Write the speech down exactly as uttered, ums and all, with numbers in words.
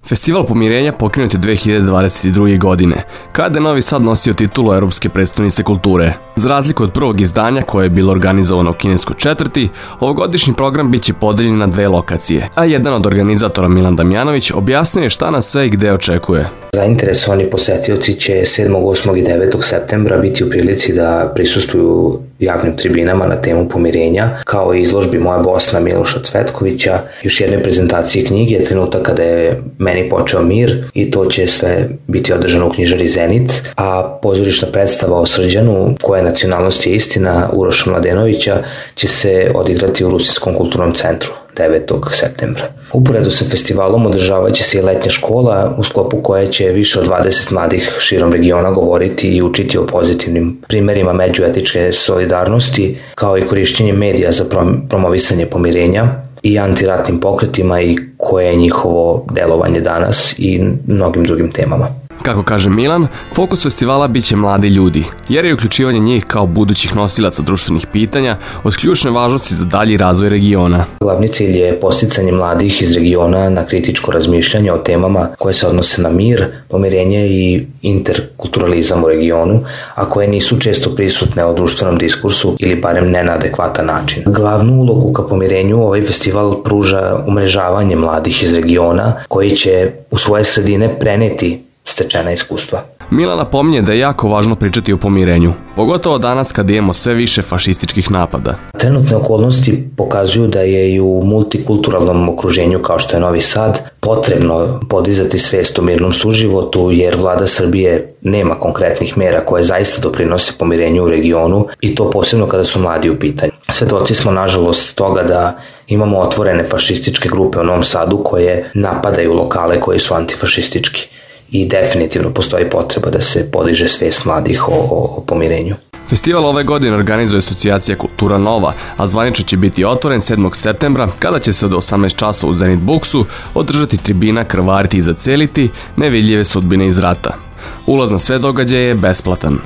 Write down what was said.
Festival pomirenja pokrenut je dve hiljade dvadeset druge. godine, kada je Novi Sad nosio titulu Evropske prestonice kulture. Za razliku od prvog izdanja koje je bilo organizovano u kineskoj četvrti, ovogodišnji program biće podeljen na dve lokacije, a jedan od organizatora Milan Damjanović objasnio je šta nas sve i gde očekuje. Zainteresovani posetioci će sedmog, osmog i devetog septembra biti u prilici da prisustvuju javnim tribinama na temu pomirenja, kao i izložbi Moja Bosna Miloša Cvetkovića, još jedne prezentacije knjige Trenutak kada je meni počeo mir, i to će sve biti održano u knjižari Zenit, a pozorišna predstava o Srđanu, koje nacionalnosti je istina, Uroša Mladenovića, će se odigrati u Rusinskom kulturnom centru devetog septembra. Uporedo sa festivalom održavat će se i letnja škola, u sklopu koje će više od dvadeset mladih širom regiona govoriti i učiti o pozitivnim primerima međuetičke solidarnosti, kao i korišćenje medija za promovisanje pomirenja i antiratnim pokretima i koje je njihovo delovanje danas i mnogim drugim temama. Kako kaže Milan, fokus festivala biće mladi ljudi, jer je uključivanje njih kao budućih nosilaca društvenih pitanja od ključne važnosti za dalji razvoj regiona. Glavni cilj je podsticanje mladih iz regiona na kritičko razmišljanje o temama koje se odnose na mir, pomirenje i interkulturalizam u regionu, a koje nisu često prisutne u društvenom diskursu ili barem ne na adekvatan način. Glavnu ulogu ka pomirenju ovaj festival pruža umrežavanje mladih iz regiona koji će u svoje sredine preneti stečena iskustva. Milan napominje da je jako važno pričati o pomirenju, pogotovo danas kad imamo sve više fašističkih napada. Trenutne okolnosti pokazuju da je i u multikulturalnom okruženju kao što je Novi Sad potrebno podizati svest o mirnom suživotu, jer vlada Srbije nema konkretnih mera koje zaista doprinose pomirenju u regionu, i to posebno kada su mladi u pitanju. Svedoci smo nažalost toga da imamo otvorene fašističke grupe u Novom Sadu koje napadaju lokale koji su antifašistički. I definitivno postoji potreba da se podiže svest mladih o, o, o pomirenju. Festival ove godine organizuje asocijacija Kultura Nova, a zvanično će biti otvoren sedmog septembra, kada će se od osamnaest časova u Zenit Buksu održati tribina Krvariti i zaceliti, nevidljive sudbine iz rata. Ulaz na sve događaje je besplatan.